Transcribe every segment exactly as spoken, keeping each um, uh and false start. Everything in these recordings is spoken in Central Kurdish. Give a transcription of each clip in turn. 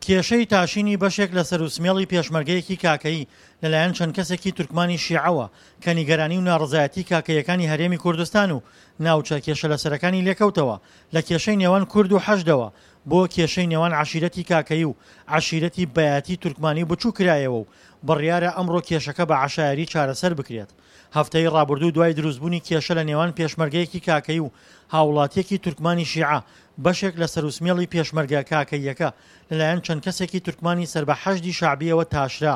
کێشەی تاشینی بەشێک لە سەر و سمێڵی پێشمەرگەیەکی کاکەیی لەلایەن چەند کەسێکی تورکمانی شیعەوە کە نیگەرانی و ناڕەزایەتی کاکەیەکانی هەرێمی کوردستان و ناوچە کێشە لەسەرەکانی لێکەوتەوە لە کێشەی نێوان کورد و حەشدەوە بۆ کێشەی نێوان عەشیرەتی کاکەیی و عەشیرەتی بەیاتی تورکمانی بچوو کرایەوە و بڕیارە ئەمڕۆ کێشەکە بە عەشایەری چارەسەر بکرێت. هەفتەی ڕابردوو دوای دروستبوونی کێشە لە نێوان پێشمەرگەیەکی کاکەیی و هاوڵاتیەکی تورکمانی شیعە بەشێک لە سەروسمێڵی پێشمەرگە کاکەییەکە لەلایەن چەند کەسێکی تورکمانی سەر بە حەشدی شەعبیەوە تاشرا،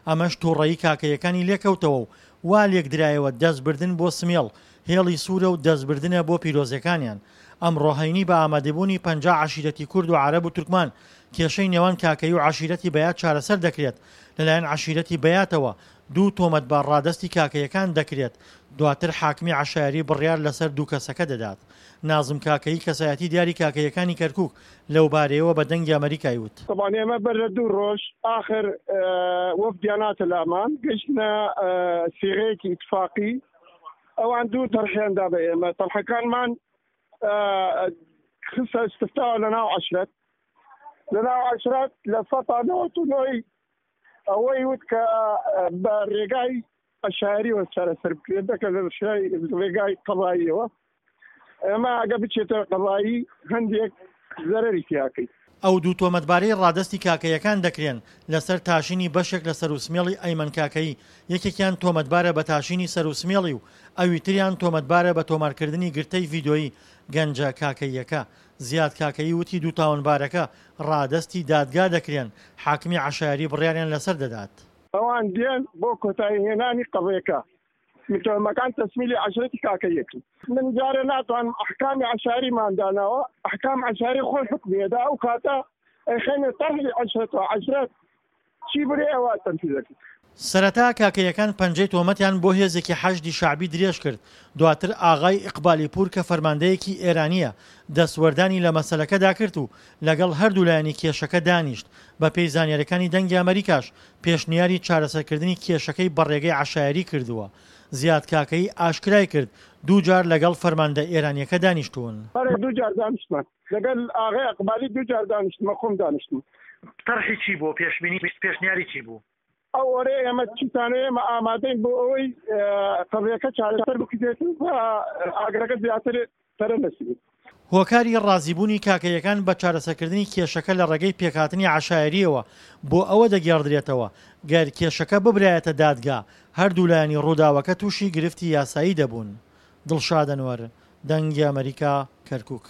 ئەمەش توڕەیی کاکەییەکانی لێکەوتەوە و وا لێکدرایەوە دەستبردن بۆ سمێڵ هێڵی سوورە و دەستبردنە بۆ پیرۆزیەکانیان. ئەمڕۆ هەینی بە ئامادەبوونی پەنجا عەشیرەتی کورد و عەرەب و تورکمان کێشەی نێوان کاکەیی و عەشیرەتی بەیات چارەسەر دەکرێت، لەلایەن عەشیرەتی بەیاتەوە دوو تۆمەتبار ڕادەستی کاکەیەکان دەکرێت، دواتر حاکمی عەشایەری بڕیار لەسەر دوو کەسەکە دەدات. نازم کاکەیی کەسایەتی دیاری کاکەیەکانی کەرکوک لەوبارەیەوە بە دەنگی ئەمەریکای وت. تەبعەن ئێمە بەر لە دوو ڕۆژ ئاخر وەفدیان هاتە لامان، گەیشتنە سیغەیەکی ئیتفاقی، ئەوان دوو تەرحیان دا بە ئێمە، تەرحەکانمان خستە استفتاوە لەناو عەشرەت، لەناو عەشرەت لە سەتا نەوەت و نۆی ئەوەی وت کە بە ڕێگای عەشایەریەوە چارەسەر بکرێت دەکە لە ڕێگای قەزاییەوە. ئێمە ئەگە بچێتە قەزایی هەندێک زەرەری تیاکەی. ئەو دوو تۆمەتبارەی ڕادەستی کاکەیەکان دەکرێن لەسەر تاشینی بەشێک لە سەروسمێڵی ئەیمەن کاکەیی، یەکێکیان تۆمەتبارە بە تاشینی سەروسمێڵی و ئەوی تریان تۆمەتبارە بە تۆمارکردنی گرتەی ڤیدۆیی گەنجە کاکەییەکە. زیاد کاکەیی وتی دوو تاوانبارەکە ڕادەستی دادگا دەکرێن، حاکمی عەشایەری بڕیاریان لەسەر دەدات. ئەوان دێن بۆ کۆتایی هێنانی قەزیەکە، متهمەکان تەسمیلی عەشرەتی کاکەییەکن. من جارێ ناتوانم ئەحکامی عەشایەریمان داناوە، ئەحکام عەشایەری خۆی حوکمی ئەدا، ئەو کاتە ئەیخەینە تەرحی عەشرەتەوە، عەشرەت چی برێ ئەوە تەنفیز ئەکەین. سەرەتا کاکەیەکان پەنجەی تۆمەتیان بۆ هێزێکی حەشدی شەعبی درێژ کرد، دواتر ئاغای ئیقبالی پوور کە فەرماندەیەکی ئێرانییە، دەستوەردانی لە مەسەلەکەدا کرد و لەگەڵ هەردوو لایەنی کێشەکە دانیشت، بەپێی زانیاریەکانی دەنگی ئەمەریکاش پێشنیاری چارەسەرکردنی کێشەکەی بەڕێگەی عەشایەری کردووە. زیاد کاکەیی ئاشکرای کرد دوو جار لەگەڵ فەرماندە ئێرانیەکە دانیشتوون. بەڵێ دوو جار دانیشتمان لەگەل ئاغای ئەقبالی، دوو جار دانیشتمە خۆم دانیشتم. تەرحی چی بوو؟ پێشبینی پێشنیاری چی بوو؟ ئەو ئۆرەیە ئێمە چیتانە ئێمە ئامادەین بۆ ئەوەی قەزیەکە چارەسەر بکرێت و ئاگرەکە زیاتر پەرە نەسێنێت. هۆکاری ڕازیبوونی کاکەیەکان بە چارەسەرکردنی کێشەکە لە ڕێگەی پێکهاتنی عەشایەرییەوە بۆ ئەوە دەگێڕدرێتەوە، گەر کێشەکە ببرایەتە دادگا، هەردوو لایەنی ڕووداوەکە تووشی گرفتی یاسایی دەبوون. دڵشاد ئەنوەر، دەنگی ئەمەریکا، کەرکوک.